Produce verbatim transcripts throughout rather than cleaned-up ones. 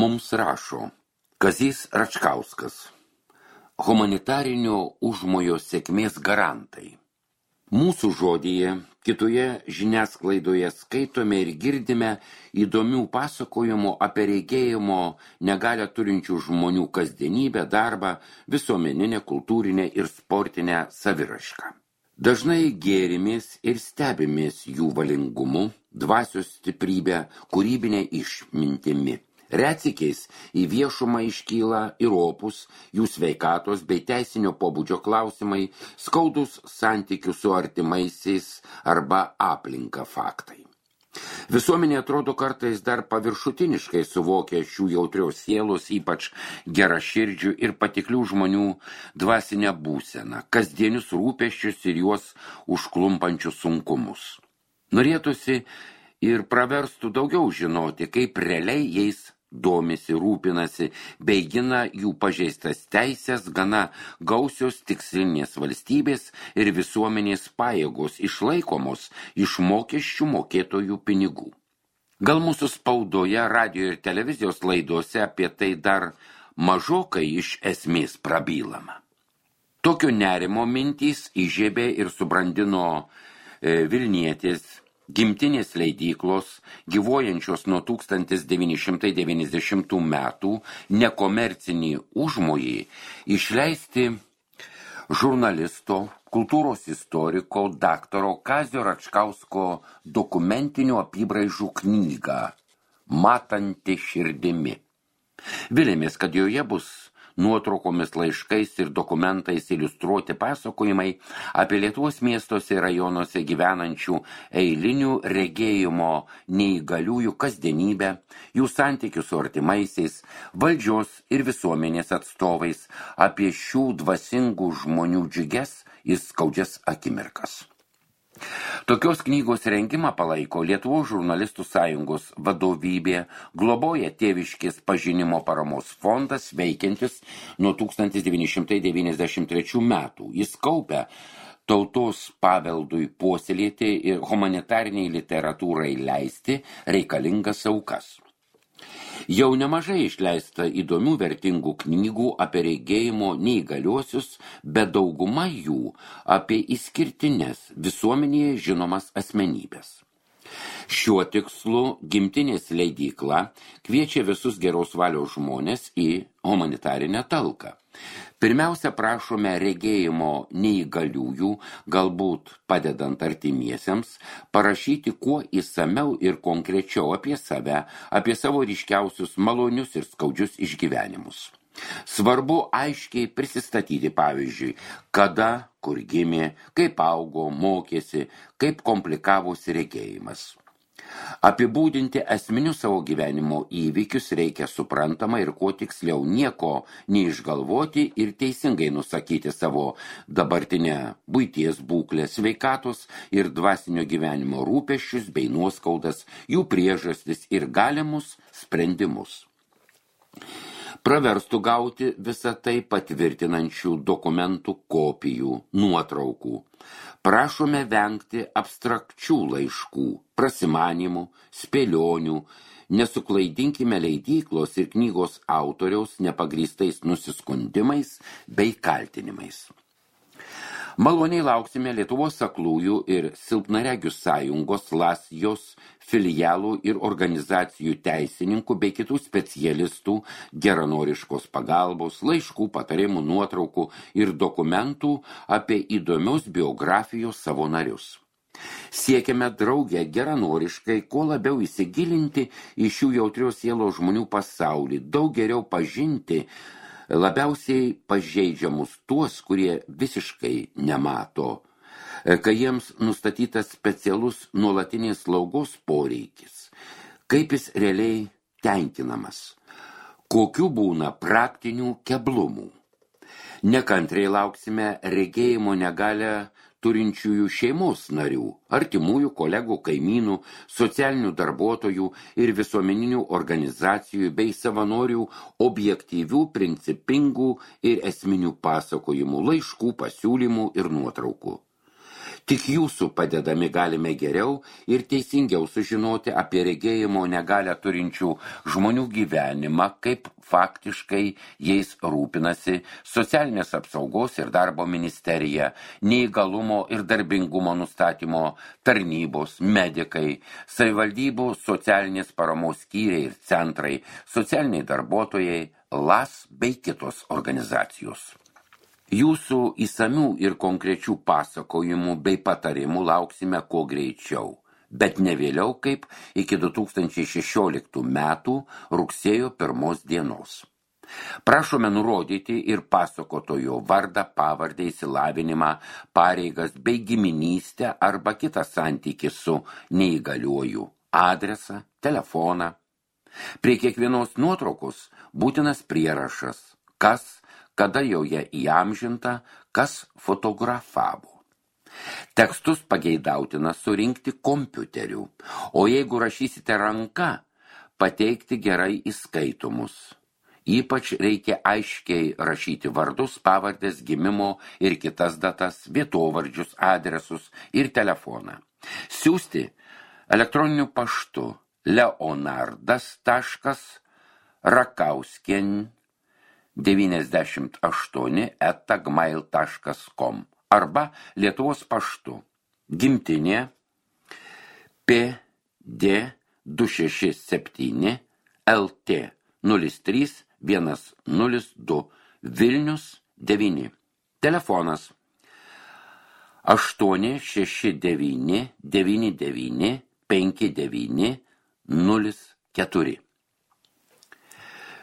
Mums rašo Kazys Račkauskas, humanitarinio užmojo sėkmės garantai. Mūsų žodyje, kitoje žiniasklaidoje skaitome ir girdime įdomių pasakojimų apie regėjimo negalią turinčių žmonių kasdienybę, darbą, visuomeninę, kultūrinę ir sportinę saviraišką. Dažnai gėrimės ir stebimės jų valingumu, dvasios stiprybę, kūrybinę išmintimi. Retsykiais į viešumą iškyla ir opus, jų sveikatos bei teisinio pobūdžio klausimai, skaudus santykių su artimaisiais arba aplinka faktai. Visuomenė atrodo kartais dar paviršutiniškai suvokia šių jautrios sielos, ypač geraširdžių ir patiklių žmonių dvasinę būseną, kasdienius rūpesčius ir juos užklumpančius sunkumus. Norėtųsi ir praverstų daugiau žinoti, kaip realiai jais domisi, rūpinasi, bei gina jų pažeistas teisės, gana gausios tikslinės valstybės ir visuomenės pajėgos išlaikomos iš mokesčių mokėtojų pinigų. Gal mūsų spaudoje, radijo ir televizijos laidose apie tai dar mažokai iš esmės prabylama. Tokio nerimo mintys įžiebė ir subrandino e, Vilnietės gimtinės leidyklos, gyvuojančios nuo tūkstantis devyni šimtai devyniasdešimtų metų, nekomercinį užmojį išleisti žurnalisto, kultūros istoriko, daktaro Kazio Račkausko dokumentinių apybraižų knygą Matanti širdimi. Vilėmės, kad joje bus nuotraukomis, laiškais ir dokumentais iliustruoti pasakojimai apie Lietuvos miestuose ir rajonuose gyvenančių eilinių regėjimo neįgaliųjų kasdienybę, jų santykių su artimaisiais, valdžios ir visuomenės atstovais, apie šių dvasingų žmonių džiugias ir skaudžias akimirkas. Tokios knygos rengimą palaiko Lietuvos žurnalistų sąjungos vadovybė, globoja Tėviškės pažinimo paramos fondas veikiantis nuo tūkstantis devyni šimtai devyniasdešimt trečių metų. Jis kaupia tautos paveldui puoselėti ir humanitariniai literatūrai leisti reikalingas aukas. Jau nemažai išleista įdomių vertingų knygų apie regėjimo neįgaliuosius, bet dauguma jų apie išskirtines visuomenėje žinomas asmenybės. Šiuo tikslu gimtinės leidykla kviečia visus geros valios žmonės į humanitarinę talką. Pirmiausia, prašome regėjimo neįgaliųjų, galbūt padedant artimiesiems, parašyti kuo įsamiau ir konkrečiau apie save, apie savo ryškiausius malonius ir skaudžius išgyvenimus. Svarbu aiškiai prisistatyti, pavyzdžiui, kada, kur gimė, kaip augo, mokėsi, kaip komplikavosi regėjimas. Apibūdinti esminius savo gyvenimo įvykius reikia suprantama ir kuo tiksliau, nieko neišgalvoti ir teisingai nusakyti savo dabartinę buities būklę, sveikatos ir dvasinio gyvenimo rūpesčius bei nuoskaudas, jų priežastis ir galimus sprendimus. Praverstų gauti visą tai patvirtinančių dokumentų kopijų, nuotraukų. Prašome vengti abstrakčių laiškų, prasimanimų, spėlionių, nesuklaidinkime leidyklos ir knygos autoriaus nepagrįstais nusiskundimais bei kaltinimais. Maloniai lauksime Lietuvos aklųjų ir silpnaregių sąjungos Lasjos filialų ir organizacijų teisininkų bei kitų specialistų geranoriškos pagalbos, laiškų, patarimų, nuotraukų ir dokumentų apie įdomios biografijos savo narius. Siekiame drauge geranoriškai, kuo labiau įsigilinti į šių jautrios sielos žmonių pasaulį, daug geriau pažinti labiausiai pažeidžiamus tuos, kurie visiškai nemato, kai jiems nustatytas specialus nuolatinės slaugos poreikis, kaip jis realiai tenkinamas, kokių būna praktinių keblumų. Nekantriai lauksime regėjimo negalią turinčiųjų šeimos narių, artimųjų, kolegų, kaimynų, socialinių darbuotojų ir visuomeninių organizacijų bei savanorių objektyvių, principingų ir esminių pasakojimų, laiškų, pasiūlymų ir nuotraukų. Tik jūsų padedami galime geriau ir teisingiau sužinoti apie regėjimo negalią turinčių žmonių gyvenimą, kaip faktiškai jais rūpinasi Socialinės apsaugos ir darbo ministerija, neįgalumo ir darbingumo nustatymo tarnybos, medikai, savivaldybių socialinės paramos skyriai ir centrai, socialiniai darbuotojai, L A S bei kitos organizacijos. Jūsų įsamių ir konkrečių pasakojimų bei patarimų lauksime kuo greičiau, bet ne vėliau kaip iki du tūkstančiai šešioliktų metų rugsėjo pirmos dienos. Prašome nurodyti ir pasakotojo vardą, pavardę, išsilavinimą, pareigas bei giminystę arba kitą santykį su neįgaliuoju, adresą, telefoną. Prie kiekvienos nuotraukos būtinas prierašas, kas, kada joje įamžinta, kas fotografavo. Tekstus pageidautina surinkti kompiuteriu, o jeigu rašysite ranka, pateikti gerai įskaitomus. Ypač reikia aiškiai rašyti vardus, pavardės, gimimo ir kitas datas, vietovardžius, adresus ir telefoną. Siųsti elektroniniu paštu leonardas taškas rakauskien devyniasdešimt aštuoni eta gmail taškas com arba Lietuvos paštu Gimtinė P D du šeši septyni L T nulis trys vienas nulis du Vilnius devyni. Telefonas aštuoni šeši devyni devyni devyni penki devyni nulis keturi.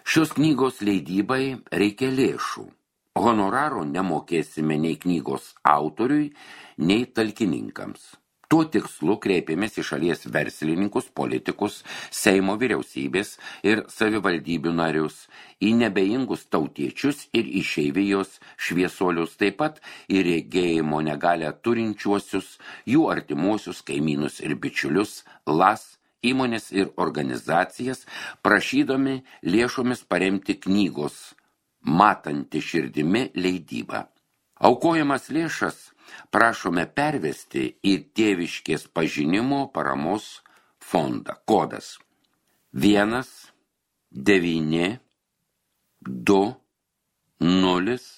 Šios knygos leidybai reikia lėšų. Honoraro nemokėsime nei knygos autoriui, nei talkininkams. Tuo tikslu kreipėmės į šalies verslininkus, politikus, Seimo vyriausybės ir savivaldybių narius, į nebeingus tautiečius ir išeivijos šviesuolius, taip pat į regėjimo negalią turinčiuosius, jų artimuosius kaimynus ir bičiulius, L A S, įmonės ir organizacijas, prašydami lėšomis paremti knygos Matanti širdimi leidybą. Aukojamas lėšas prašome pervesti į Tėviškės pažinimo paramos fondą. Kodas vienas devyni du nulis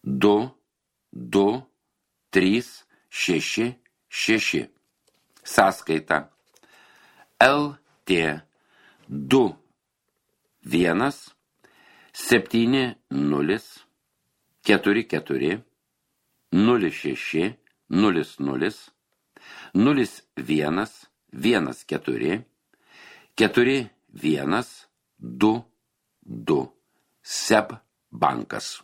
du du trys šeši šeši. Sąskaita L T du vienas septyni nulis keturi keturi nulis šeši nulis nulis nulis vienas vienas keturi keturi vienas du du S E B bankas.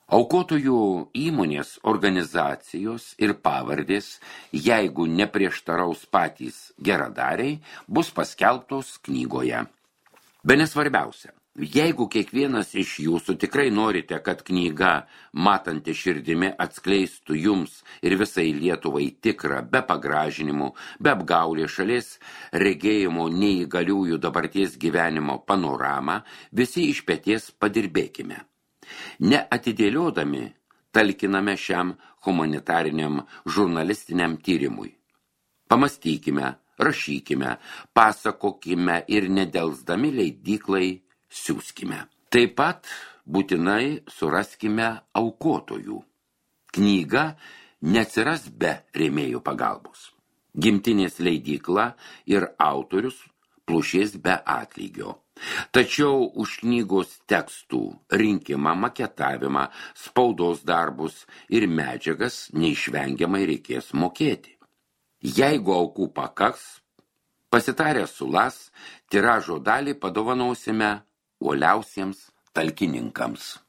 Aukotojų įmonės, organizacijos ir pavardės, jeigu neprieštaraus patys geradariai, bus paskelbtos knygoje. Bene svarbiausia, jeigu kiekvienas iš jūsų tikrai norite, kad knyga Matanti širdimi atskleistų jums ir visai Lietuvai tikrą, be pagražinimų, be apgaulės šalies regėjimo neįgaliųjų dabarties gyvenimo panoramą, visi iš peties padirbėkime. Neatidėliodami talkiname šiam humanitariniam žurnalistiniam tyrimui. Pamastykime, rašykime, pasakokime ir nedelsdami leidyklai siųskime. Taip pat būtinai suraskime aukotojų. Knyga neatsiras be rėmėjų pagalbos. Gimtinės leidykla ir autorius plušės be atlygio. Tačiau už knygos tekstų rinkimą, maketavimą, spaudos darbus ir medžiagas neišvengiamai reikės mokėti. Jeigu aukų pakaks, pasitarę su L A S, tiražo dalį padovanosime uoliausiems talkininkams.